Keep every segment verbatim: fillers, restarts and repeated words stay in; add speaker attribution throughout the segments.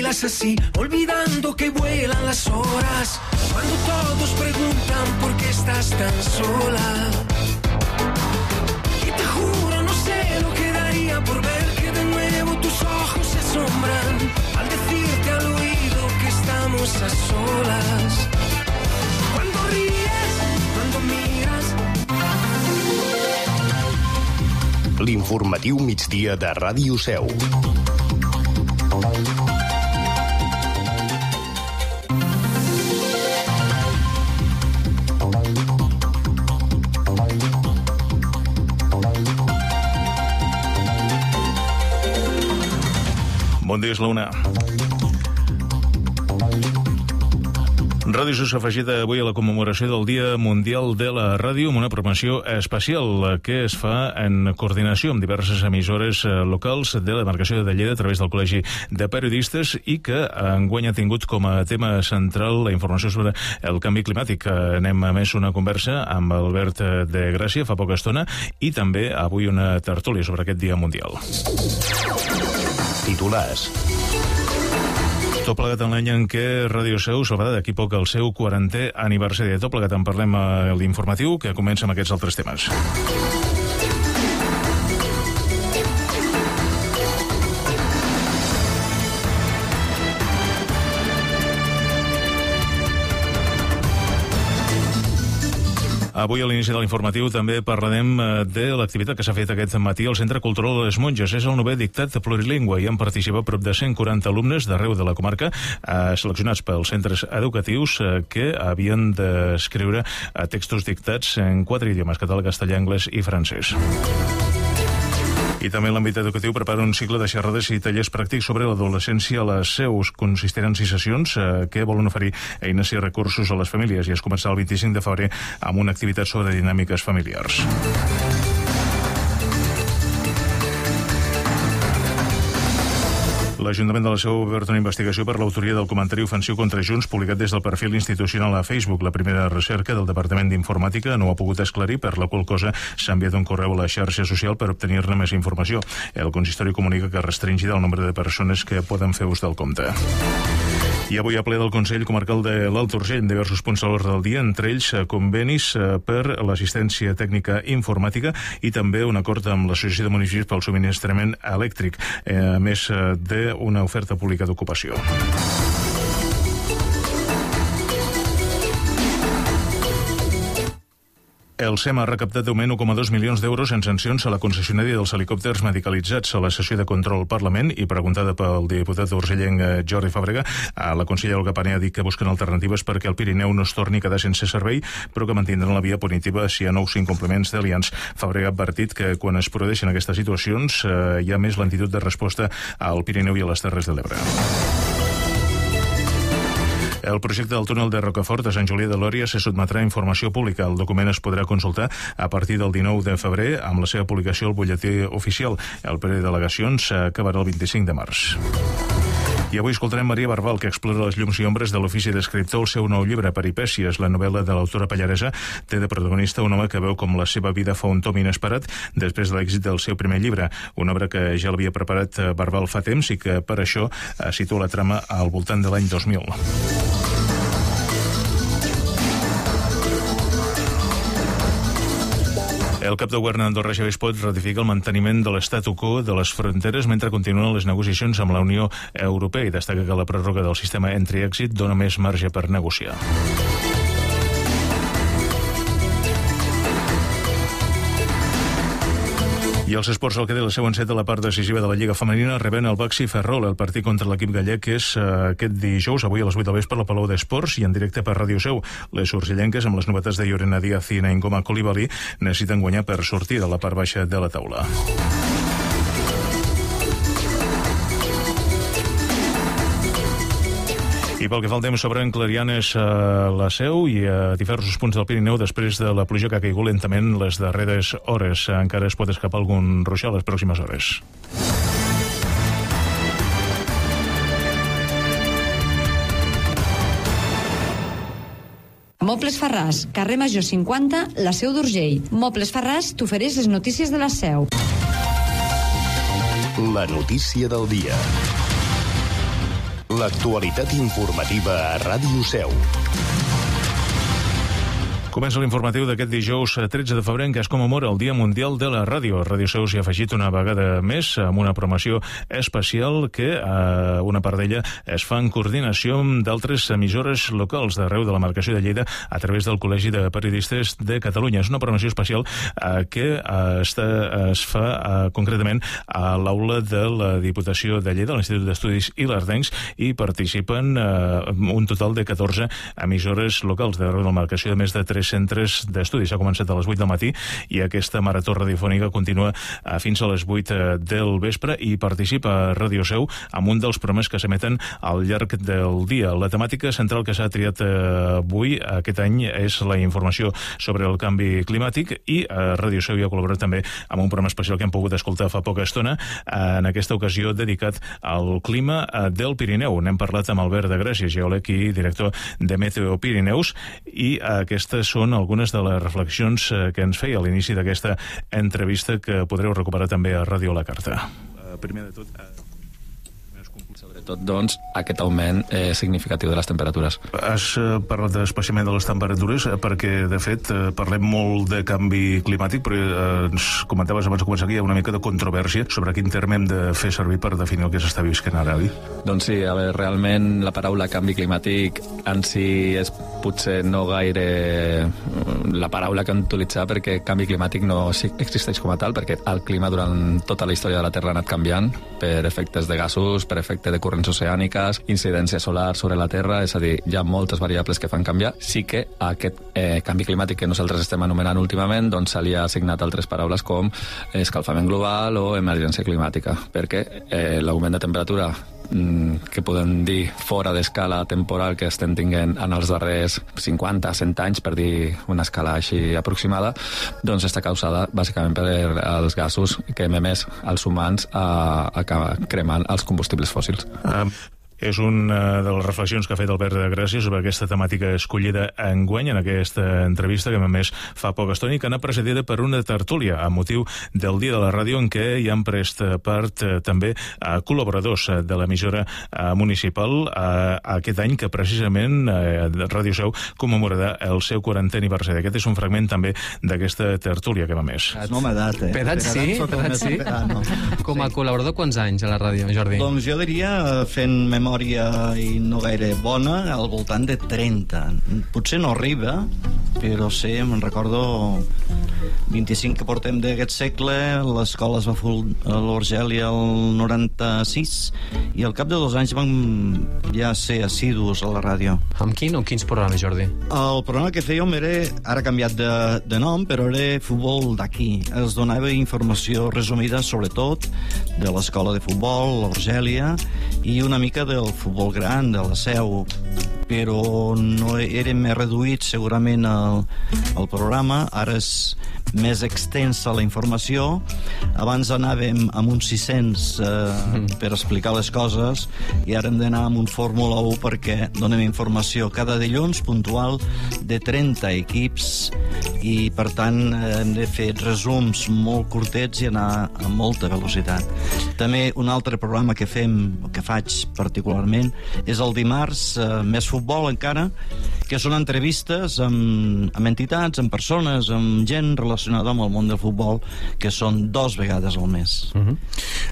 Speaker 1: bailas así, olvidando que vuelan las horas, cuando todos preguntan por qué estás tan sola. Y te juro, no sé lo que daría por ver que de nuevo tus ojos se asombran al decirte al oído que estamos a solas. Cuando ríes, cuando miras.
Speaker 2: L'informatiu migdia de Ràdio Seu.
Speaker 3: Bon dia, és la una. Ràdio s'ha afegit avui a la commemoració del Dia Mundial de la Ràdio amb una programació especial que es fa en coordinació amb diverses emissores locals de la demarcació de Lleida a través del Col·legi de Periodistes i que enguany ha tingut com a tema central la informació sobre el canvi climàtic. Anem a més una conversa amb Albert de Gràcia fa poca estona i també avui una tertúlia sobre aquest Dia Mundial.
Speaker 2: Titulars.
Speaker 3: Tot plegat en l'any en què Ràdio Seu celebrarà d'aquí poc el seu quarantè aniversari. Tot plegat en parlem a l'informatiu, que comença amb aquests altres temes. Avui a l'inici de l'informatiu també parlarem de l'activitat que s'ha fet aquest matí al Centre Cultural de les Monges. És el novè dictat plurilingüe i han participat prop de cent quaranta alumnes d'arreu de la comarca eh, seleccionats pels centres educatius eh, que havien d'escriure eh, textos dictats en quatre idiomes: català, castellà, anglès i francès. I també l'àmbit educatiu prepara un cicle de xerrades i tallers pràctics sobre l'adolescència a les seus. Consistiran sis sessions eh, que volen oferir eines i recursos a les famílies i es començarà el vint-i-cinc de febrer amb una activitat sobre dinàmiques familiars. L'Ajuntament de la Seu ha obert una investigació per l'autoria del comentari ofensiu contra Junts publicat des del perfil institucional a Facebook. La primera recerca del Departament d'Informàtica no ho ha pogut esclarir, per la qual cosa s'ha enviat un correu a la xarxa social per obtenir-ne més informació. El consistori comunica que restringirà el nombre de persones que poden fer ús del compte. I avui a ple del Consell Comarcal de l'Alt Urgell diversos punts a l'ordre del dia, entre ells convenis per l'assistència tècnica informàtica i també un acord amb l'Associació de Municipis pel subministrament elèctric, a més d'una oferta pública d'ocupació. El SEM ha recaptat de moment un coma dos milions d'euros en sancions a la concessionària dels helicòpters medicalitzats. A la sessió de control al Parlament i preguntada pel diputat urgellenc Jordi Fàbrega, la consellera Olga Pané ha dit que busquen alternatives perquè el Pirineu no es torni a quedar sense servei, però que mantindran la via punitiva si hi ha nous incompliments d'alians. Fàbrega ha advertit que quan es produeixen aquestes situacions eh, hi ha més lentitud de resposta al Pirineu i a les Terres de l'Ebre. El projecte del túnel de Rocafort a Sant Julià de Lòria se sotmetrà a informació pública. El document es podrà consultar a partir del dinou de febrer amb la seva publicació al butlletí oficial. El període de delegacions acabarà el vint-i-cinc de març. I avui escoltarem Maria Barbal, que explora les llums i ombres de l'ofici d'escriptor. El seu nou llibre, Peripècies, la novel·la de l'autora pallaresa, té de protagonista un home que veu com la seva vida fa un tom inesperat després de l'èxit del seu primer llibre, una obra que ja l'havia preparat Barbal fa temps i que per això situa la trama al voltant de l'any dos mil. El cap de govern d'Andorra, Xavier Espot, ratifica el manteniment de l'statu quo de les fronteres mentre continuen les negociacions amb la Unió Europea i destaca que la pròrroga del sistema entry i èxit dona més marge per negociar. I els esports, el que té la següent set de la part decisiva de la Lliga Femenina, reben el Baxi Ferrol. El partit contra l'equip gallec és uh, aquest dijous, avui a les vuit del vespre, a la Palau d'Esports i en directe per Ràdio Seu. Les urgellenques, amb les novetats de Llorena Díaz i Naingoma Coulibaly, necessiten guanyar per sortir de la part baixa de la taula. I pel que fa al temps sobre en Clarianes a la Seu i a diversos punts del Pirineu, després de la pluja que ha caigut lentament les darreres hores, encara es pot escapar algun ruixat les pròximes hores.
Speaker 4: Mobles Farràs, carrer Major cinquanta, la Seu d'Urgell. Mobles Farràs t'ofereix les notícies de la Seu.
Speaker 2: La notícia del dia. L'actualitat informativa a Ràdio Seu.
Speaker 3: Comença l'informatiu d'aquest dijous tretze de febrer en què es commemora el Dia Mundial de la Ràdio. Ràdio Seu s'hi ha afegit una vegada més amb una promoció especial que eh, una part d'ella es fa en coordinació amb d'altres emissores locals d'arreu de la marcació de Lleida a través del Col·legi de Periodistes de Catalunya. És una promoció especial eh, que eh, està, es fa eh, concretament a l'aula de la Diputació de Lleida, l'Institut d'Estudis Ilerdencs, i participen eh, un total de catorze emissores locals d'arreu de la marcació de més de tres centres d'estudi. S'ha començat a les vuit del matí i aquesta marató radiofònica continua fins a les vuit del vespre i participa a Ràdio Seu amb un dels programes que s'emeten al llarg del dia. La temàtica central que s'ha triat avui, aquest any, és la informació sobre el canvi climàtic i a Ràdio Seu hi ha col·laborat també amb un programa especial que hem pogut escoltar fa poca estona, en aquesta ocasió dedicat al clima del Pirineu. N'hem parlat amb Albert de Gràcia, geòleg i director de Meteo Pirineus, i aquestes són algunes de les reflexions que ens feia a l'inici d'aquesta entrevista que podreu recuperar també a Ràdio La Carta. Uh, primer de tot... Uh...
Speaker 5: Sobretot, doncs, aquest augment eh, significatiu de les temperatures.
Speaker 3: Has eh, parlat especialment de les temperatures eh, perquè, de fet, eh, parlem molt de canvi climàtic, però eh, ens comentaves abans de començar aquí, hi ha una mica de controvèrsia sobre quin terme hem de fer servir per definir el que s'està visquent ara, oi?
Speaker 5: Doncs sí, a veure, realment la paraula canvi climàtic en si és potser no gaire la paraula que hem d'utilitzar, perquè canvi climàtic no existeix com a tal, perquè el clima durant tota la història de la Terra ha anat canviant per efectes de gasos, per efectes de corrents oceàniques, incidència solar sobre la Terra, és a dir, hi ha moltes variables que fan canviar. Sí que aquest eh, canvi climàtic que nosaltres estem anomenant últimament, doncs se li ha assignat altres paraules com escalfament global o emergència climàtica, perquè eh, l'augment de temperatura que podem dir fora d'escala temporal que estem tinguent en els darrers cinquanta a cent anys, per dir una escala així aproximada, doncs està causada bàsicament per els gasos que hem emès els humans a, a cremant els combustibles fòssils.
Speaker 3: Um... És una de les reflexions que ha fet Albert de Gràcia sobre aquesta temàtica escollida enguany en aquesta entrevista que a més fa poca estona i que anà precedida per una tertúlia a motiu del Dia de la Ràdio en què hi han pres part eh, també eh, col·laboradors de l'emissora eh, municipal eh, aquest any que precisament eh, Ràdio Seu commemorarà el seu quarantè aniversari. Aquest és un fragment també d'aquesta tertúlia que va més.
Speaker 6: No m'ha dat, eh?
Speaker 7: Per edat sí? Per edat sí? No. Com a sí. Col·laborador, quants anys a la ràdio, Jordi?
Speaker 6: Doncs jo diria, fent memòria i no gaire bona, al voltant de trenta. Potser no arriba, però sí, me'n recordo vint-i-cinc que portem d'aquest segle, l'escola es va fer a l'Orgèlia el noranta-sis i al cap de dos anys vam ja ser assidus a la ràdio.
Speaker 7: Amb quin o quins programes, Jordi?
Speaker 6: El programa que fèiem era, ara canviat de, de nom, però era futbol d'aquí. Es donava informació resumida, sobretot, de l'escola de futbol, l'Orgèlia, i una mica del futbol gran, de la Seu, però no era més reduït segurament el, el programa. Ara és més extensa la informació. Abans anàvem amb uns sis-cents eh, per explicar les coses i ara hem d'anar amb un Fórmula u perquè donem informació cada dilluns puntual de trenta equips i per tant hem de fer resums molt curtets i anar a molta velocitat. També un altre programa que fem, que faig particularment, és el dimarts, eh, més futbol encara, que són entrevistes amb, amb entitats, amb persones, amb gent relacionada amb el món del futbol, que són dos vegades al mes.
Speaker 7: Uh-huh.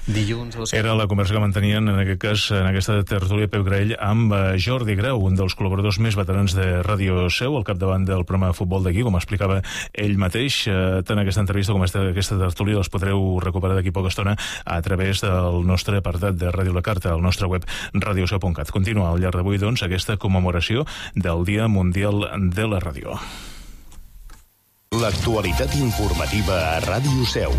Speaker 7: Dilluns... Els...
Speaker 3: Era la conversa que mantenien, en aquest cas, en aquesta tertúlia Peu Graell, amb Jordi Grau, un dels col·laboradors més veterans de Ràdio Seu, al capdavant del programa de futbol d'aquí, com explicava ell mateix. Tant aquesta entrevista com aquesta tertúlia els podreu recuperar d'aquí poca estona a través del nostre apartat de Ràdio La Carta, al nostre web radioseu punt cat. Continua al llarg d'avui, doncs, aquesta commemoració del Dia Mundial de la Ràdio.
Speaker 2: L'actualitat informativa a Ràdio Seu.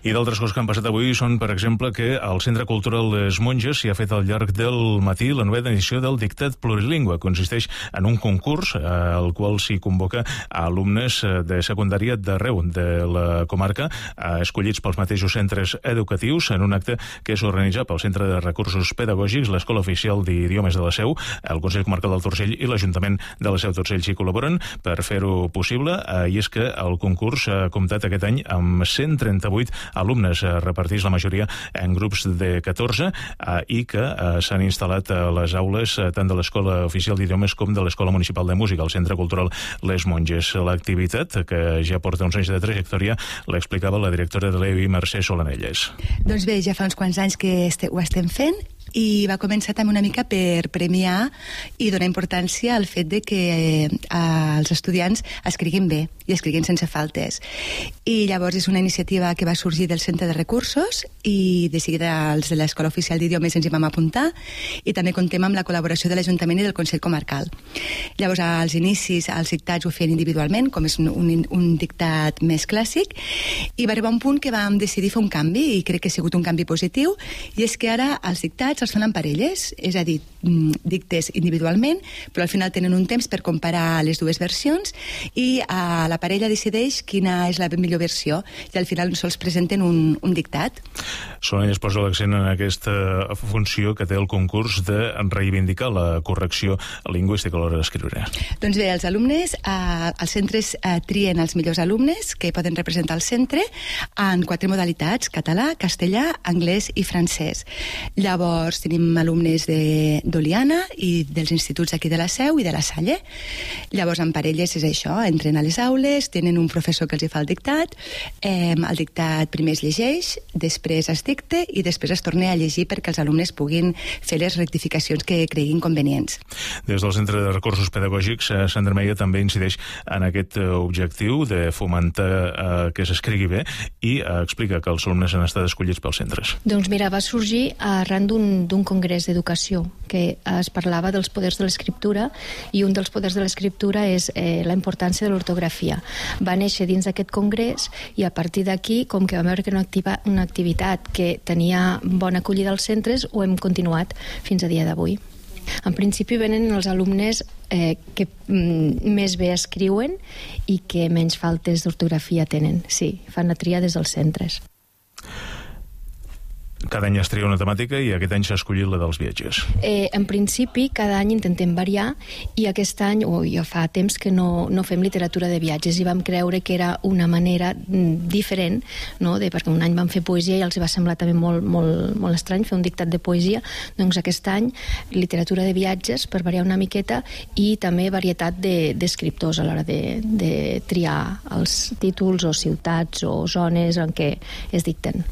Speaker 3: I d'altres coses que han passat avui són, per exemple, que al Centre Cultural Les Monges s'hi ha fet al llarg del matí la novena edició del Dictat Plurilingüe. Consisteix en un concurs al qual s'hi convoca a alumnes de secundària d'arreu de la comarca, escollits pels mateixos centres educatius, en un acte que és organitzat pel Centre de Recursos Pedagògics, l'Escola Oficial d'Idiomes de la Seu, el Consell Comarcal del Torcell i l'Ajuntament de la Seu Torcell s'hi col·laboren per fer-ho possible, i és que el concurs ha comptat aquest any amb cent trenta-vuit alumnes, repartits la majoria en grups de catorze, i que s'han instal·lat a les aules tant de l'Escola Oficial d'Idiomes com de l'Escola Municipal de Música, al Centre Cultural Les Monges. L'activitat, que ja porta uns anys de trajectòria, l'explicava la directora de l'E U I, Mercè Solanelles.
Speaker 8: Doncs bé, ja fa uns quants anys que este, ho estem fent, i va començar també una mica per premiar i donar importància al fet de que eh, els estudiants escriguin bé i escriguin sense faltes. I llavors és una iniciativa que va sorgir del Centre de Recursos i de seguida els de l'Escola Oficial d'Idiomes ens hi vam apuntar, i també contem amb la col·laboració de l'Ajuntament i del Consell Comarcal. Llavors, als inicis, els dictats ho feien individualment, com és un, un, un dictat més clàssic, i va arribar un punt que vam decidir fer un canvi, i crec que ha sigut un canvi positiu, i és que ara els dictats els fan en parelles, és a dir, dictes individualment, però al final tenen un temps per comparar les dues versions, i a la parella decideix quina és la millor versió, i al final sols presenten un, un dictat.
Speaker 3: Solanelles posa l'accent en aquesta funció que té el concurs de reivindicar la correcció lingüística a l'hora d'escriure.
Speaker 8: Doncs bé, els alumnes, eh, els centres eh, trien els millors alumnes que poden representar el centre en quatre modalitats: català, castellà, anglès i francès. Llavors tenim alumnes de d'Oliana i dels instituts aquí de la Seu i de la Salle. Llavors, en parelles és això, entren a les aules, tenen un professor que els hi fa el dictat, eh, el dictat primer es llegeix, després es dicta i després es torna a llegir perquè els alumnes puguin fer les rectificacions que creguin convenients.
Speaker 3: Des del Centre de Recursos Pedagògics, Sandra Meia també incideix en aquest objectiu de fomentar eh, que s'escrigui bé, i eh, explica que els alumnes han estat escollits pels centres.
Speaker 9: Doncs mira, va sorgir arran d'un congrés d'educació que es parlava dels poders de l'escriptura, i un dels poders de l'escriptura és eh, la importància de l'ortografia. Va néixer dins d'aquest congrés, i a partir d'aquí, com que vam veure que era una, activa, una activitat que tenia bona acollida als centres, ho hem continuat fins a dia d'avui. En principi venen els alumnes eh, que mm, més bé escriuen i que menys faltes d'ortografia tenen. Sí, fan la tria des dels centres.
Speaker 3: Cada any es tria una temàtica i aquest any s'ha escollit la dels viatges.
Speaker 9: Eh, en principi, cada any intentem variar, i aquest any, o ja fa temps que no, no fem literatura de viatges, i vam creure que era una manera diferent, no? de, perquè un any vam fer poesia i els va semblar també molt, molt, molt estrany fer un dictat de poesia. Doncs aquest any literatura de viatges per variar una miqueta, i també varietat d'escriptors de, a l'hora de, de triar els títols o ciutats o zones en què es dicten.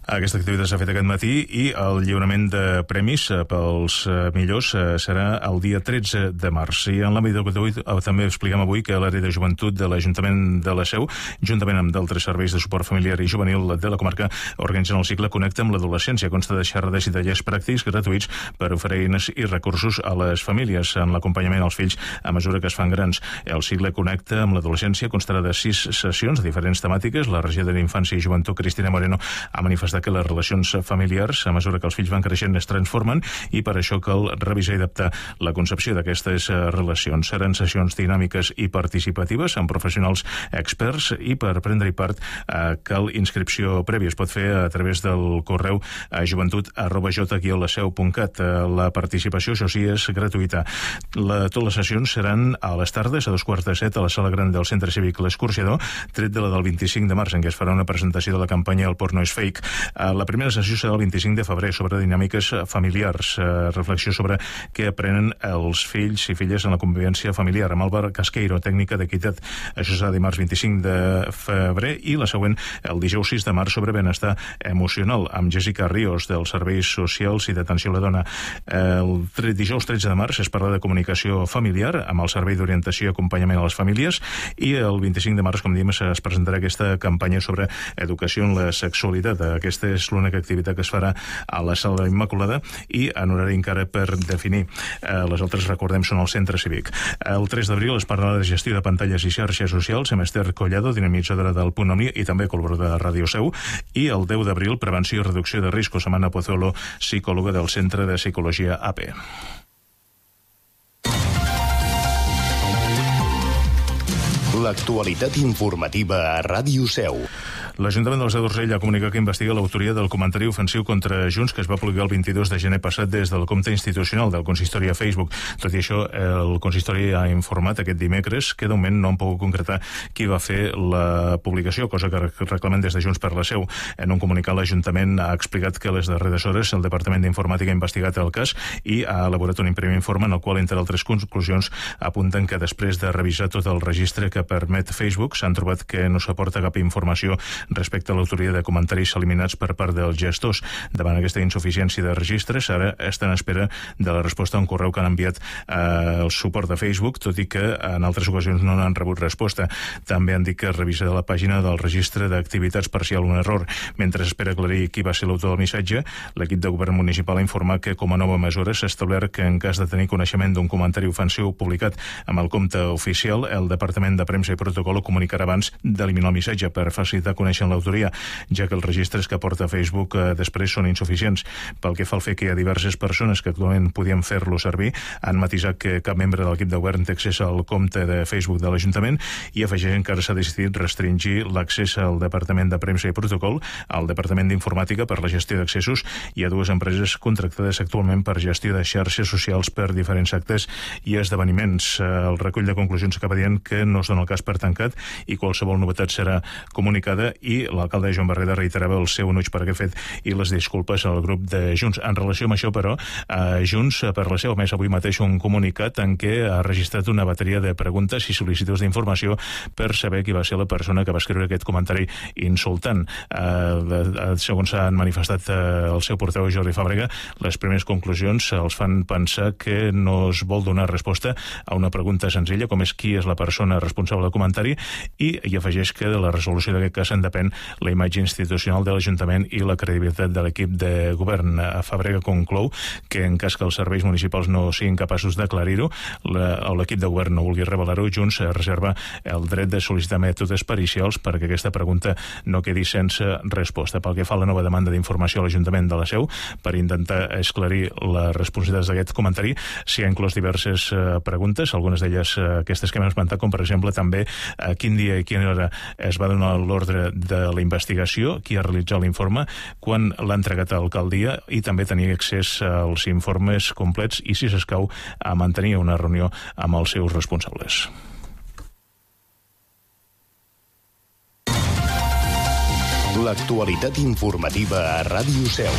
Speaker 3: Aquesta activitat s'ha fet aquest matí, i el lliurament de premis pels millors serà el dia tretze de març. I en l'àmbit educatiu també expliquem avui que l'àrea de joventut de l'Ajuntament de la Seu, juntament amb d'altres serveis de suport familiar i juvenil de la comarca, organitzen el cicle Connecta amb l'adolescència. Consta de xerrades i tallers pràctics gratuïts per oferir eines i recursos a les famílies en l'acompanyament als fills a mesura que es fan grans. El cicle Connecta amb l'adolescència constarà de sis sessions de diferents temàtiques. La regidora d'Infància i Joventut, Cristina Moreno, ha manifestat que les relacions familiars, a mesura que els fills van creixent, es transformen, i per això cal revisar i adaptar la concepció d'aquestes relacions. Seran sessions dinàmiques i participatives amb professionals experts, i per prendre-hi part eh, cal inscripció prèvia. Es pot fer a través del correu a joventut arroba j guió la seu punt cat. La participació, això sí, és gratuïta. La, totes les sessions seran a les tardes, a dos quarts de set, a la sala gran del Centre Cívic L'Escorxador, tret de la del vint-i-cinc de març, en què es farà una presentació de la campanya El porno és fake. La primera sessió serà el vint-i-cinc de febrer, sobre dinàmiques familiars, reflexió sobre què aprenen els fills i filles en la convivència familiar, amb Álvaro Casqueiro, tècnica d'equitat. Això serà dimarts vint-i-cinc de febrer, i la següent el dijous sis de març, sobre benestar emocional, amb Jessica Ríos, dels Serveis Socials i d'Atenció a la Dona. El dijous tretze de març es parla de comunicació familiar, amb el Servei d'Orientació i Acompanyament a les Famílies, i el vint-i-cinc de març, com diem, es presentarà aquesta campanya sobre educació en la sexualitat. Aquesta és l'única activitat que es farà a la Sala de l'Immaculada, i en horari encara per definir. Eh, les altres, recordem, són al Centre Cívic. El tres d'abril es parlarà de gestió de pantalles i xarxes socials amb Esther Collado, dinamitzadora del Punt Omni i també col·laboradora de Ràdio Seu, i el deu d'abril, prevenció i reducció de riscos, amb Anna Pozuelo, psicòloga del Centre de Psicologia A P.
Speaker 2: L'actualitat informativa a Ràdio Seu.
Speaker 3: L'Ajuntament de la Seu d'Urgell ha comunicat que investiga l'autoria del comentari ofensiu contra Junts que es va publicar el vint-i-dos de gener passat des del compte institucional del consistori a Facebook. Tot i això, el consistori ha informat aquest dimecres que de moment no han pogut concretar qui va fer la publicació, cosa que reclamen des de Junts per la Seu. En un comunicat, l'Ajuntament ha explicat que a les darreres hores el Departament d'Informàtica ha investigat el cas i ha elaborat un primer informe en el qual, entre altres conclusions, apunten que després de revisar tot el registre que permet Facebook, s'han trobat que no s'aporta cap informació respecte a l'autoria de comentaris eliminats per part dels gestors. Davant aquesta insuficiència de registres, ara estan en espera de la resposta a un correu que han enviat eh, el suport de Facebook, tot i que en altres ocasions no n'han rebut resposta. També han dit que revisarà la pàgina del registre d'activitats per si hi ha un error. Mentre espera aclarir qui va ser l'autor del missatge, l'equip de govern municipal ha informat que, com a nova mesura, s'ha establert que en cas de tenir coneixement d'un comentari ofensiu publicat amb el compte oficial, el Departament de Premsa i Protocol ho comunicarà abans d'eliminar el missatge per facilitar conèixer l'autoria, ja que els registres que porta Facebook eh, després són insuficients. Pel que fa al fet que hi ha diverses persones que actualment podien fer-lo servir, han matisat que cap membre de l'equip de govern té accés al compte de Facebook de l'Ajuntament i afegeixen que ara s'ha decidit restringir l'accés al Departament de Premsa i Protocol, al Departament d'Informàtica per la gestió d'accessos i a dues empreses contractades actualment per gestió de xarxes socials per diferents actes i esdeveniments. El recull de conclusions acaba dient que no es dona el cas per tancat i qualsevol novetat serà comunicada, i l'alcalde Joan Barreda reiterava el seu enuig per aquest fet i les disculpes al grup de Junts. En relació amb això, però, eh, Junts per la Seu ha emès avui mateix un comunicat en què ha registrat una bateria de preguntes i sol·licituds d'informació per saber qui va ser la persona que va escriure aquest comentari insultant. Eh, segons s'han manifestat eh, el seu portaveu Jordi Fàbrega, les primeres conclusions els fan pensar que no es vol donar resposta a una pregunta senzilla, com és qui és la persona responsable del comentari, i hi afegeix que de la resolució d'aquest cas en depèn la imatge institucional de l'Ajuntament i la credibilitat de l'equip de govern. Fàbrega conclou que en cas que els serveis municipals no siguin capaços d'aclarir-ho o l'equip de govern no vulgui revelar-ho, Junts reserva el dret de sol·licitar mètodes pericials perquè aquesta pregunta no quedi sense resposta. Pel que fa a la nova demanda d'informació a l'Ajuntament de la Seu per intentar esclarir les responsabilitats d'aquest comentari, s'hi ha inclòs diverses eh, preguntes, algunes d'elles eh, aquestes que hem esmentat, com per exemple també a quin dia i quina hora es va donar l'ordre de la investigació, qui ha realitzat l'informe, quan l'ha entregat a l'alcaldia, i també tenir accés als informes complets i, si s'escau, a mantenir una reunió amb els seus responsables.
Speaker 2: L'actualitat informativa a Ràdio Seu.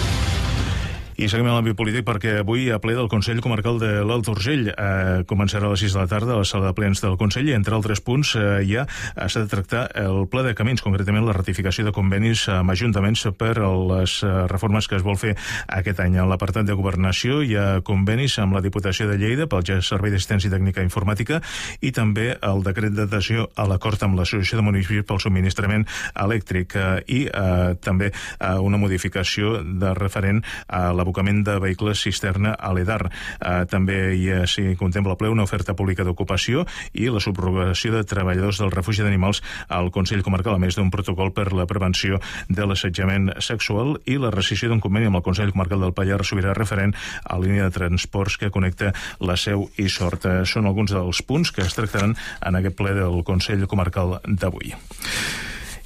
Speaker 3: I seguim en l'àmbit polític perquè avui a ple del Consell Comarcal de l'Alt Urgell eh, començarà a les sis de la tarda a la sala de plens del Consell i, entre altres punts, eh, ja s'ha de tractar el pla de camins, concretament la ratificació de convenis amb ajuntaments per a les eh, reformes que es vol fer aquest any. En l'apartat de governació hi ha convenis amb la Diputació de Lleida pel Servei d'Assistència Tècnica Informàtica i també el decret d'adhesió a l'acord amb l'Associació de Municipis pel subministrament elèctric eh, i eh, també eh, una modificació de referent a la l'abocament de vehicles cisterna a l'Edar. Eh, també hi ha, si contempla ple, una oferta pública d'ocupació i la subrogació de treballadors del refugi d'animals al Consell Comarcal, a més d'un protocol per la prevenció de l'assetjament sexual i la rescissió d'un conveni amb el Consell Comarcal del Pallars Sobirà referent a la línia de transports que connecta la Seu i Sort. Són alguns dels punts que es tractaran en aquest ple del Consell Comarcal d'avui.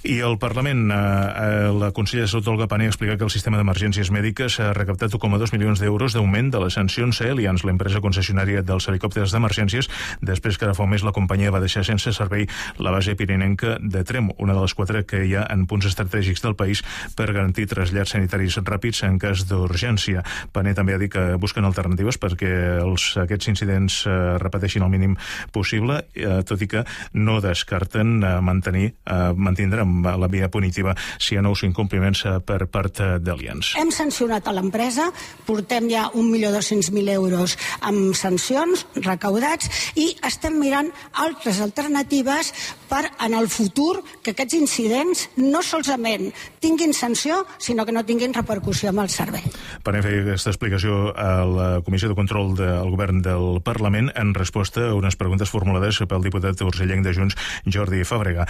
Speaker 3: I el Parlament, eh, la consellera de Salut, Olga Pané, ha explicat que el sistema d'emergències mèdiques ha recaptat un coma dos milions d'euros d'augment de les sancions a Allianz, l'empresa concessionària dels helicòpters d'emergències, després que ara fa un mes la companyia va deixar sense servei la base pirinenca de Trem, una de les quatre que hi ha en punts estratègics del país per garantir trasllats sanitaris ràpids en cas d'urgència. Pané també ha dit que busquen alternatives perquè els, aquests incidents eh, repeteixin el mínim possible, eh, tot i que no descarten eh, mantenir, eh, mantindre la via punitiva si hi ha nous incompliments per part d'Allianz.
Speaker 10: Hem sancionat a l'empresa, portem ja un milió dos-cents mil euros amb sancions recaudats i estem mirant altres alternatives per, en el futur, que aquests incidents no solament tinguin sanció, sinó que no tinguin repercussió amb el servei.
Speaker 3: Pané feia aquesta explicació a la Comissió de Control del Govern del Parlament en resposta a unes preguntes formulades pel diputat urgellenc de Junts, Jordi Fàbrega.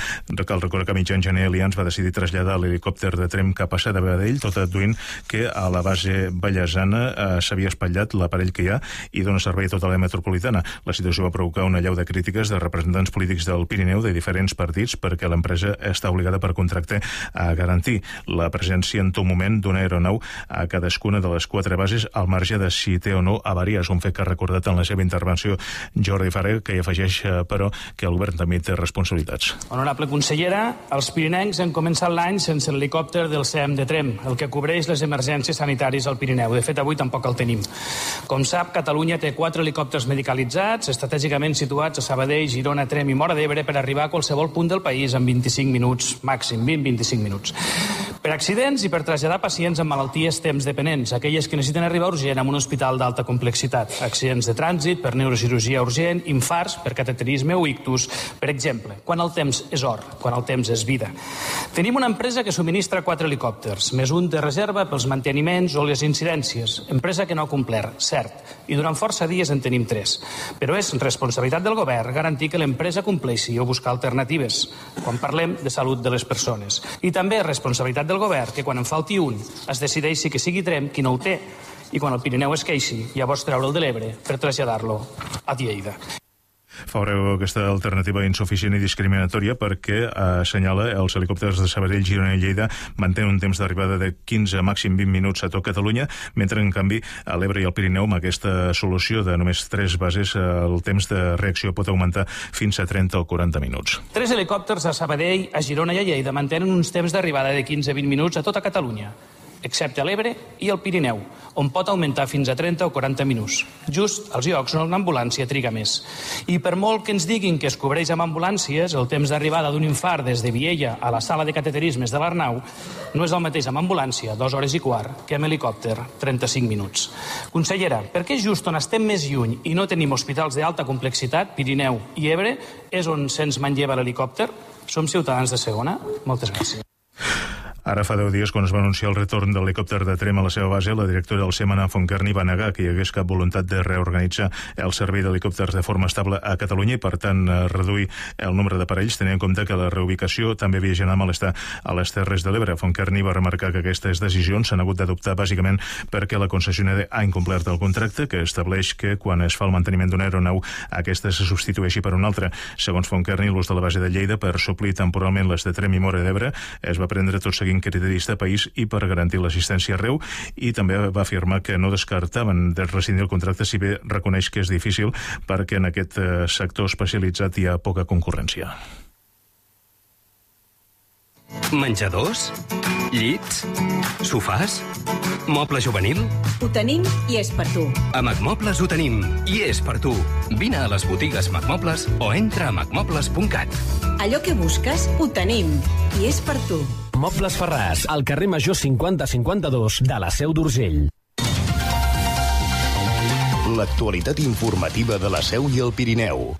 Speaker 3: Cal recordar que a mitjan gener Ryanair Alliance va decidir traslladar l'helicòpter de Trem cap a Sabadell, tot adduint que a la base ballesana eh, s'havia espatllat l'aparell que hi ha i dona servei a tota la metropolitana. La situació va provocar una allau de crítiques de representants polítics del Pirineu de diferents partits perquè l'empresa està obligada per contracte a garantir la presència en tot moment d'una aeronau a cadascuna de les quatre bases al marge de si té o no avaries, un fet que ha recordat en la seva intervenció Jordi Farré, que hi afegeix, eh, però, que el govern també té responsabilitats.
Speaker 11: Honorable consellera, els pirinencs han començat l'any sense l'helicòpter del C E M de Trem, el que cobreix les emergències sanitàries al Pirineu. De fet, avui tampoc el tenim. Com sap, Catalunya té quatre helicòpters medicalitzats, estratègicament situats a Sabadell, Girona, Trem i Móra d'Ebre per arribar a qualsevol punt del país en vint-i-cinc minuts, màxim, vint a vint-i-cinc minuts. Per accidents i per traslladar pacients amb malalties temps dependents, aquelles que necessiten arribar urgent a un hospital d'alta complexitat, accidents de trànsit, per neurocirurgia urgent, infarts, per cateterisme o ictus, per exemple, quan el temps és or, quan el temps és vida. Tenim una empresa que subministra quatre helicòpters, més un de reserva pels manteniments o les incidències, empresa que no ha complert, cert, i durant força dies en tenim tres. Però és responsabilitat del govern garantir que l'empresa compleixi o buscar alternatives, quan parlem de salut de les persones. I també és responsabilitat del govern que quan en falti un es decideixi que sigui Trem qui no ho té i quan el Pirineu es queixi, llavors treure'l de l'Ebre per traslladar-lo a Lleida.
Speaker 3: Faureu aquesta alternativa insuficient i discriminatòria perquè eh, assenyala els helicòpters de Sabadell, Girona i Lleida mantenen un temps d'arribada de quinze, màxim vint minuts a tot Catalunya, mentre en canvi a l'Ebre i al Pirineu amb aquesta solució de només tres bases eh, el temps de reacció pot augmentar fins a trenta o quaranta minuts.
Speaker 11: Tres helicòpters a Sabadell, a Girona i a Lleida mantenen uns temps d'arribada de quinze a vint minuts a tota Catalunya, excepte a l'Ebre i al Pirineu, on pot augmentar fins a trenta o quaranta minuts, just als llocs on una ambulància triga més. I per molt que ens diguin que es cobreix amb ambulàncies, el temps d'arribada d'un infart des de Viella a la sala de cateterismes de l'Arnau no és el mateix amb ambulància, dues hores i quart, que amb helicòpter, trenta-cinc minuts. Consellera, per què just on estem més lluny i no tenim hospitals d'alta complexitat, Pirineu i Ebre, és on se'ns manlleva l'helicòpter? Som ciutadans de segona? Moltes gràcies.
Speaker 3: Ara fa deu dies, quan es va anunciar el retorn de l'helicòpter de Trem a la seva base, la directora del SEMAN, Fontcarni, va negar que hi hagués cap voluntat de reorganitzar el servei d'helicòpters de forma estable a Catalunya i, per tant, reduir el nombre d'aparells, tenint en compte que la reubicació també havia generat malestar a les Terres de l'Ebre. Fontcarni va remarcar que aquestes decisions s'han hagut d'adoptar bàsicament perquè la concessionària ha incomplert el contracte, que estableix que quan es fa el manteniment d'una aeronau, aquesta se substitueixi per una altra. Segons Fontcarni, l'ús de la base de Lleida per suplir temporalment les de Trem i Móra d'Ebre es va prendre tot seguint criteris de país i per garantir l'assistència arreu, i també va afirmar que no descartaven de rescindir el contracte, si bé reconeix que és difícil perquè en aquest sector especialitzat hi ha poca concurrència.
Speaker 12: Menjadors? Llits? Sofàs? Moble juvenil?
Speaker 13: Ho tenim i és per tu.
Speaker 12: A Macmobles ho tenim i és per tu. Vine a les botigues Macmobles o entra a macmobles punt cat.
Speaker 13: Allò que busques, ho tenim i és per tu.
Speaker 14: Mobles Ferràs, al carrer Major cinquanta cinquanta-dos de la Seu d'Urgell.
Speaker 2: L'actualitat informativa de la Seu i el Pirineu.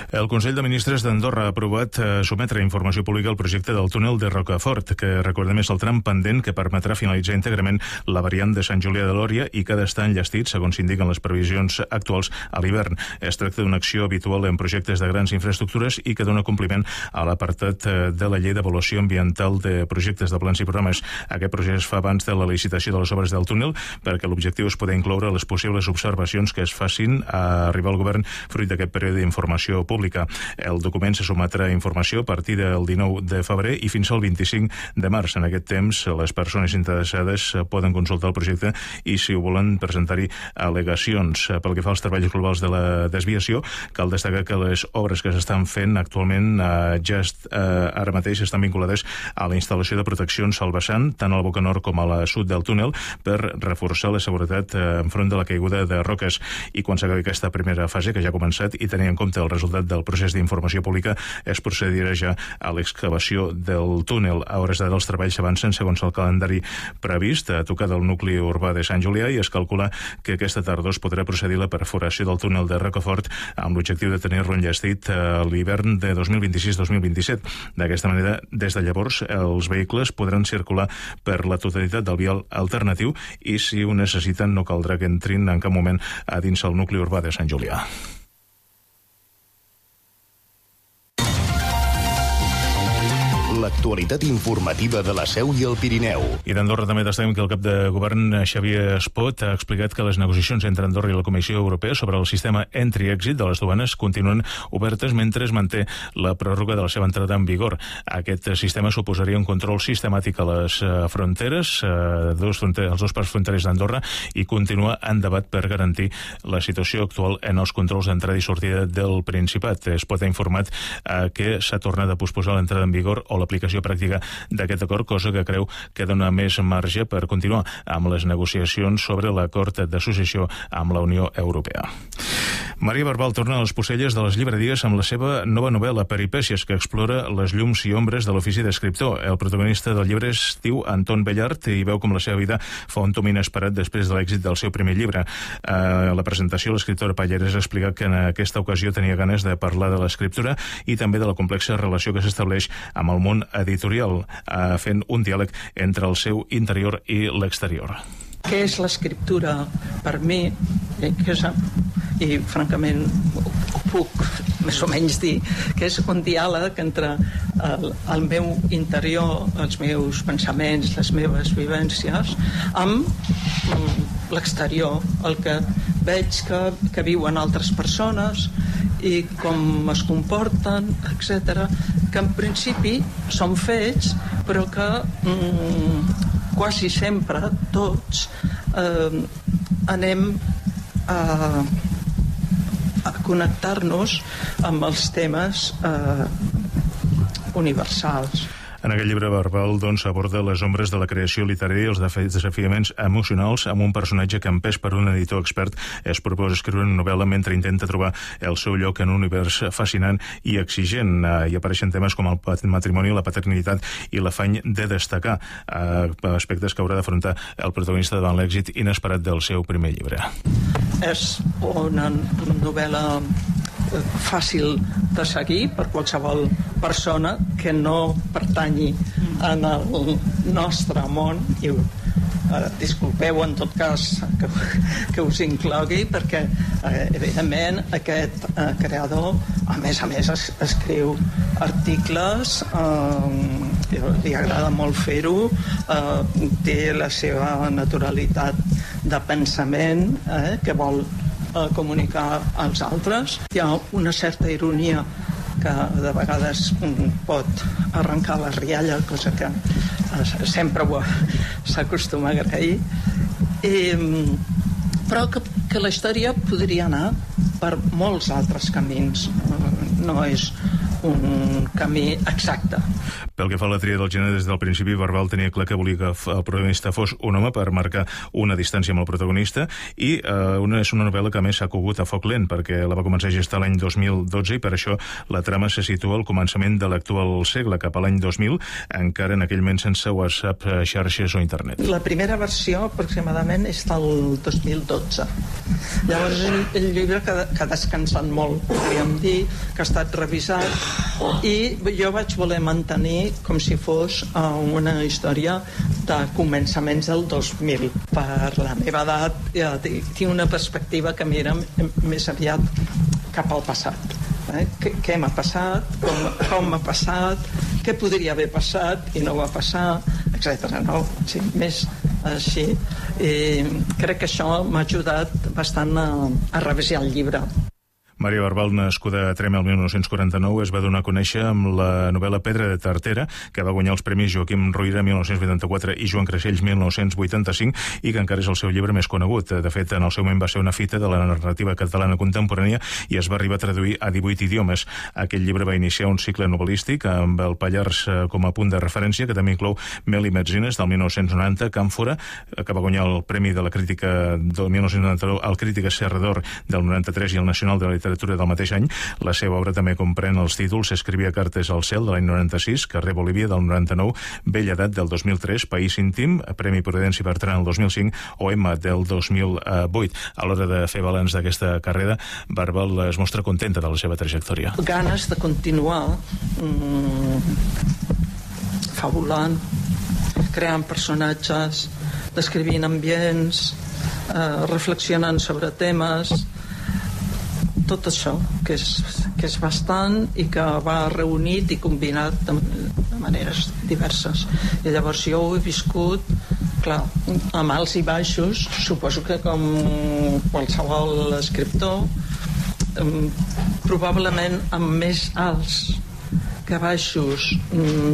Speaker 3: El Consell de Ministres d'Andorra ha aprovat eh, sometre a informació pública el projecte del túnel de Rocafort, que recordem és el tram pendent que permetrà finalitzar íntegrament la variant de Sant Julià de Lòria i que ha d'estar enllestit, segons s'indiquen les previsions actuals, a l'hivern. Es tracta d'una acció habitual en projectes de grans infraestructures i que dona compliment a l'apartat de la Llei d'Avaluació Ambiental de Projectes de Plans i Programes. Aquest projecte es fa abans de la licitació de les obres del túnel perquè l'objectiu és poder incloure les possibles observacions que es facin a arribar al govern fruit d'aquest període d'informació pública. El document se sometrà a informació a partir del dinou de febrer i fins al vint-i-cinc de març. En aquest temps, les persones interessades poden consultar el projecte i, si ho volen, presentar-hi al·legacions. Pel que fa als treballs globals de la desviació, cal destacar que les obres que s'estan fent actualment eh, ja est, eh, ara mateix estan vinculades a la instal·lació de proteccions al vessant, tant al boca nord com a la sud del túnel, per reforçar la seguretat eh, enfront de la caiguda de roques. I quan s'acabi aquesta primera fase, que ja ha començat, i tenint en compte el resultat del procés d'informació pública, es procedirà ja a l'excavació del túnel. A hores d'ara els treballs s'avancen segons el calendari previst, a tocar del nucli urbà de Sant Julià, i es calcula que aquesta tardor es podrà procedir la perforació del túnel de Rocafort amb l'objectiu de tenir-lo enllestit a l'hivern de dos mil vint-i-sis dos mil vint-i-set. D'aquesta manera, des de llavors, els vehicles podran circular per la totalitat del vial alternatiu i, si ho necessiten, no caldrà que entrin en cap moment a dins el nucli urbà de Sant Julià.
Speaker 2: L'actualitat l'actualitat informativa de la Seu i el Pirineu.
Speaker 3: I d'Andorra també destaquem que el cap de govern, Xavier Espot, ha explicat que les negociacions entre Andorra i la Comissió Europea sobre el sistema entry-exit de les duanes continuen obertes mentre es manté la pròrroga de la seva entrada en vigor. Aquest sistema suposaria un control sistemàtic a les fronteres, eh, dos fronter els dos parts fronterers d'Andorra, i continua en debat per garantir la situació actual en els controls d'entrada i sortida del Principat. Espot ha informat eh, que s'ha tornat a posposar l'entrada en vigor o l'aplicació pràctica d'aquest acord, cosa que creu que dona més marge per continuar amb les negociacions sobre l'acord d'associació amb la Unió Europea. Maria Barbal torna a les Pucelles de les llibreries amb la seva nova novel·la Peripècies, que explora les llums i ombres de l'ofici d'escriptor. El protagonista del llibre es diu Anton Bellart i veu com la seva vida fa un tomb inesperat després de l'èxit del seu primer llibre. A la presentació, l'escriptora Pallarès ha explicat que en aquesta ocasió tenia ganes de parlar de l'escriptura i també de la complexa relació que s'estableix amb el món editorial, fent un diàleg entre el seu interior i l'exterior.
Speaker 15: Què és l'escriptura per mi? Que és, i francament ho puc més o menys dir, que és un diàleg entre el, el meu interior, els meus pensaments, les meves vivències, amb l'exterior, el que veig que, que viuen altres persones i com es comporten, etcètera, que en principi són fets, però que mm, quasi sempre tots eh, anem a, a connectar-nos amb els temes eh, universals.
Speaker 3: En aquest llibre, Barbal doncs, aborda les ombres de la creació literària i els desafiaments emocionals amb un personatge que, empès per un editor expert, es proposa escriure una novel·la mentre intenta trobar el seu lloc en un univers fascinant i exigent. Hi apareixen temes com el matrimoni, la paternitat i l'afany de destacar, aspectes que haurà d'afrontar el protagonista davant l'èxit inesperat del seu primer llibre.
Speaker 15: És una novel·la fàcil de seguir per qualsevol persona que no pertanyi en el nostre món i eh, disculpeu en tot cas que, que us inclogui perquè eh, evidentment aquest eh, creador a més a més es, escriu articles, eh, li agrada molt fer-ho, eh, té la seva naturalitat de pensament eh, que vol a comunicar als altres. Hi ha una certa ironia que de vegades pot arrencar la rialla, cosa que sempre s'acostuma a agrair. I, però que, que la història podria anar per molts altres camins. No és un camí exacte.
Speaker 3: Pel que fa a la tria del gènere, des del principi Barbal tenia clar que volia que el protagonista fos un home per marcar una distància amb el protagonista i eh, una, és una novel·la que a més s'ha cogut a foc lent perquè la va començar a gestar l'any dos mil dotze i per això la trama se situa al començament de l'actual segle, cap a l'any dos mil, encara en aquell moment sense WhatsApp, xarxes o internet.
Speaker 15: La primera versió aproximadament és del dos mil dotze. Llavors el, el llibre que, que ha descansat molt, podríem dir, que ha estat revisat i jo vaig voler mantenir com si fos uh, una història de començaments del dos mil. Per la meva edat ja, tinc una perspectiva que mira més aviat cap al passat. Eh? Què, què m'ha passat, com, com m'ha passat, què podria haver passat i no va passar, etcètera. No? Sí, més així. I crec que això m'ha ajudat bastant a, a revisar el llibre.
Speaker 3: Maria Barbal, nascuda a Trem el mil nou-cents quaranta-nou, es va donar a conèixer amb la novel·la Pedra de Tartera, que va guanyar els premis Joaquim Ruyra mil nou-cents vuitanta-quatre i Joan Creixells mil nou-cents vuitanta-cinc i que encara és el seu llibre més conegut. De fet, en el seu moment va ser una fita de la narrativa catalana contemporània i es va arribar a traduir a divuit idiomes. Aquest llibre va iniciar un cicle novel·lístic amb el Pallars com a punt de referència, que també inclou Mel i Metzines del mil nou-cents noranta, Càmfora, que va guanyar el Premi de la Crítica del mil nou-cents noranta-nou, el Crítica Serrador del noranta-tres i el Nacional de la Literatura del mateix any. La seva obra també comprèn els títols Escrivia cartes al cel de l'any noranta-sis, Carrer Bolívia del noranta-nou, Bella edat del dos mil tres, País íntim, Premi Prudència Bertran el dos mil cinc o Emma del dos mil vuit. A l'hora de fer balanç d'aquesta carrera, Barbal es mostra contenta de la seva trajectòria.
Speaker 15: Ganes de continuar mmm, fabulant, creant personatges, descrivint ambients, eh, reflexionant sobre temes. tot això, que és, que és bastant i que va reunit i combinat de, de maneres diverses. I llavors jo ho he viscut, clar, amb alts i baixos, suposo que com qualsevol escriptor, probablement amb més alts que baixos,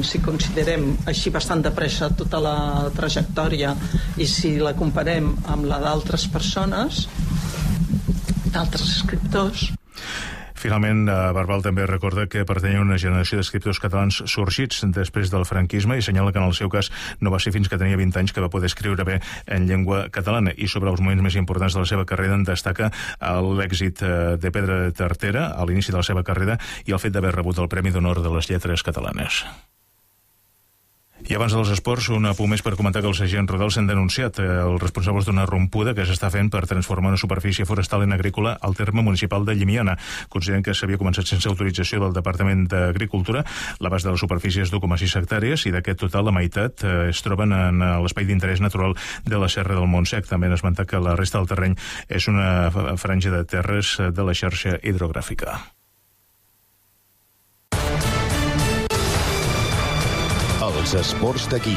Speaker 15: si considerem així bastant de pressa tota la trajectòria i si la comparem amb la d'altres persones, d'altres escriptors.
Speaker 3: Finalment, Barbal també recorda que pertany a una generació d'escriptors catalans sorgits després del franquisme i assenyala que en el seu cas no va ser fins que tenia vint anys que va poder escriure bé en llengua catalana. I sobre els moments més importants de la seva carrera en destaca l'èxit de Pedra Tartera a l'inici de la seva carrera i el fet d'haver rebut el Premi d'Honor de les Lletres Catalanes. I abans dels esports, un apunt més per comentar que els agents rurals s'han denunciat els responsables d'una rompuda que s'està fent per transformar una superfície forestal en agrícola al terme municipal de Llimiana. Consideren que s'havia començat sense autorització del Departament d'Agricultura. L'abast de la superfície és d'u coma sis hectàrees i d'aquest total la meitat es troben en l'espai d'interès natural de la Serra del Montsec. També han esmentat que la resta del terreny és una franja de terres de la xarxa hidrogràfica.
Speaker 2: Els esports d'aquí.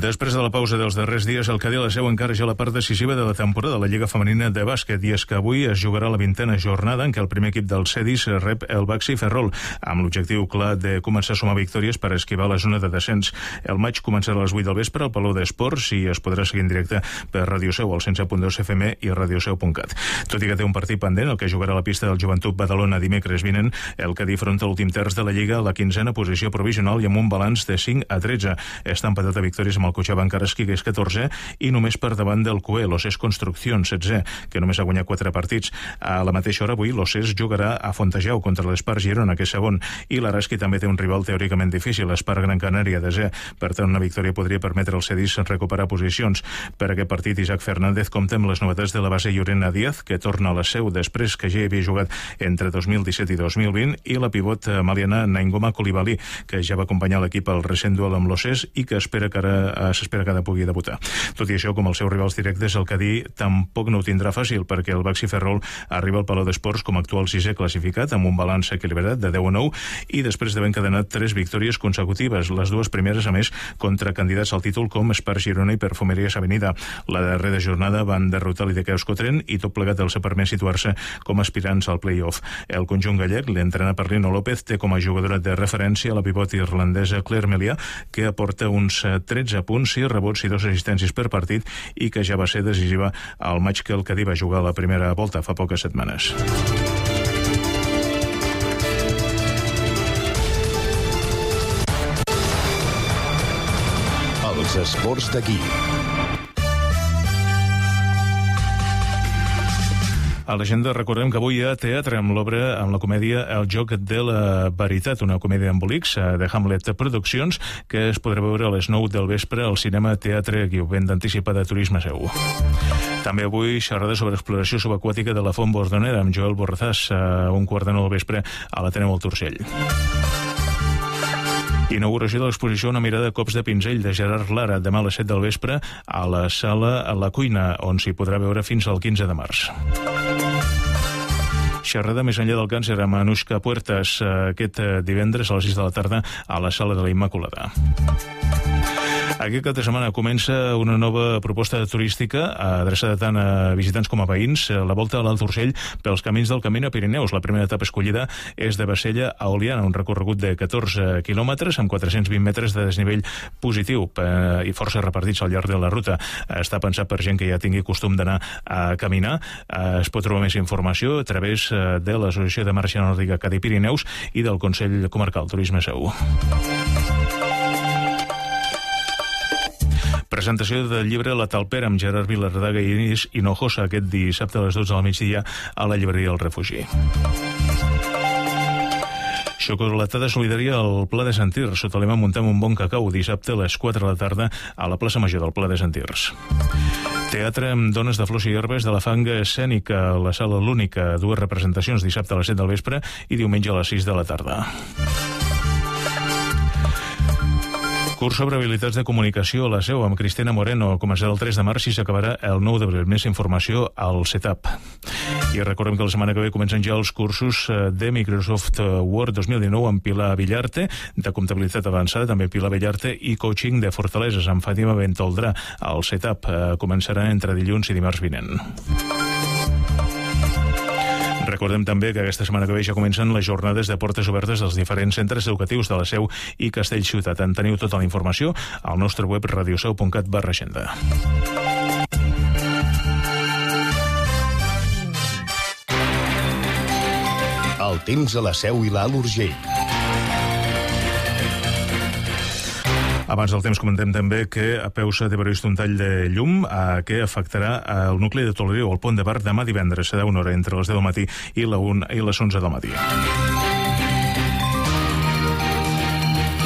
Speaker 3: Després de la pausa dels darrers dies, el Cadí a la Seu encara ja la part decisiva de la temporada de la Lliga Femenina de Bàsquet, i és que avui es jugarà la vintena jornada en què el primer equip del Cedis rep el Baxi Ferrol, amb l'objectiu clar de començar a sumar victòries per esquivar la zona de descens. El maig començarà a les vuit del vespre al Palau d'Esports i es podrà seguir en directe per Radio Seu, al cent set punt dos F M i radioseu punt cat. Tot i que té un partit pendent, el que jugarà a la pista del Joventut Badalona dimecres vinent, el Cadí afronta l'últim terç de la Lliga a la quinzena posició provisional i amb un balanç de cinc a tretze. Està empatat a victòries amb el Cochabamba Karaski, que és catorzè, i només per davant del Coe, l'Osés Construcción, setzè, que només ha guanyat quatre partits. A la mateixa hora avui, l'Osés jugarà a Fontejau contra l'Espar Girona, que és segon, i l'Araski també té un rival teòricament difícil, l'Espar Gran Canària, desè. Per tant, una victòria podria permetre al Cedis recuperar posicions. Per aquest partit, Isaac Fernández compta amb les novetats de la base Llorena Díaz, que torna a la Seu després que ja havia jugat entre dos mil disset i dos mil vint, i la pivot maliana Naingoma Coulibaly, que ja va acompanyar l'equip al recent duel amb l'Osés i que espera que ara s'espera que ara pugui debutar. Tot i això, com els seus rivals directes, el Cadí tampoc no ho tindrà fàcil, perquè el Baxi Ferrol arriba al Palau d'Esports com a actual sisè classificat, amb un balanç equilibrat de deu a nou, i després d'haver encadenat tres victòries consecutives, les dues primeres, a més, contra candidats al títol com Espar Girona i Perfumeries Avenida. La darrera jornada van derrotar l'I D K Euskotren i tot plegat els ha permès situar-se com aspirants al play-off. El conjunt gallec, l'entrenat per Lino López, té com a jugadora de referència la pivot irlandesa Claire Melià, que aporta uns tretze punts, sis rebots i dos assistències per partit, i que ja va ser decisiva al maig que el Cadí va jugar a la primera volta fa poques setmanes.
Speaker 2: Els esports d'aquí.
Speaker 3: A l'agenda recordem que avui hi ha teatre amb l'obra, amb la comèdia El joc de la veritat, una comèdia embolics de Hamlet Produccions, que es podrà veure a les nou del vespre al cinema Teatre Guiu, ben d'anticipada Turisme Seu. També avui xerrada sobre exploració subaquàtica de la Font Bordonera amb Joel Borrazàs a un quart de nou del vespre a l'Ateneu al Turcell. Inauguració de l'exposició Una mirada a cops de pinzell de Gerard Lara, demà a les set del vespre a la sala a la Cuina, on s'hi podrà veure fins al quinze de març. Xerrada més enllà del càncer amb Anushka Puertas aquest divendres a les sis de la tarda a la sala de la Immaculada. Aquest cap de setmana comença una nova proposta turística adreçada tant a visitants com a veïns, la volta a l'Alt Urgell pels camins del Camí a Pirineus. La primera etapa escollida és de Bassella a Oliana, un recorregut de catorze quilòmetres amb quatre-cents vint metres de desnivell positiu i força repartits al llarg de la ruta. Està pensat per gent que ja tingui costum d'anar a caminar. Es pot trobar més informació a través de l'Associació de Marxa Nòrdica Cadí Pirineus i del Consell Comarcal Turisme Seu. Presentació del llibre La Talpera amb Gerard Vilardaga i Inés Hinojosa aquest dissabte a les dotze del migdia a la llibreria El Refugi. Xocolatada solidària al Pla de Sant Tirs. Sota lema Muntem un bon cacau, dissabte a les quatre de la tarda a la plaça Major del Pla de Sant Tirs. Teatre amb dones de flors i herbes de la Fanga Escènica a la Sala L'Única. Dues representacions dissabte a les set del vespre i diumenge a les sis de la tarda. Curs sobre habilitats de comunicació a la Seu amb Cristina Moreno. Començarà el tres de març i s'acabarà el nou d'abril. Més informació al setup. I recordem que la setmana que ve comencen ja els cursos de Microsoft Word dos mil dinou amb Pilar Villarte, de comptabilitat avançada, també Pilar Villarte, i coaching de fortaleses amb Fàtima Bentoldrà. El setup començarà entre dilluns i dimarts vinent. Recordem també que aquesta setmana que ve ja comencen les jornades de portes obertes dels diferents centres educatius de la Seu i Castellciutat. En teniu tota la informació al nostre web radioseu punt cat barra agenda.
Speaker 2: El temps a la Seu i l'Alt Urgell.
Speaker 3: Abans del temps comentem també que a Peusa té previst un tall de llum eh, que afectarà el nucli de Toleriu, el pont de Bar, demà divendres. Serà una hora entre les deu del matí i, la una, i les onze del matí.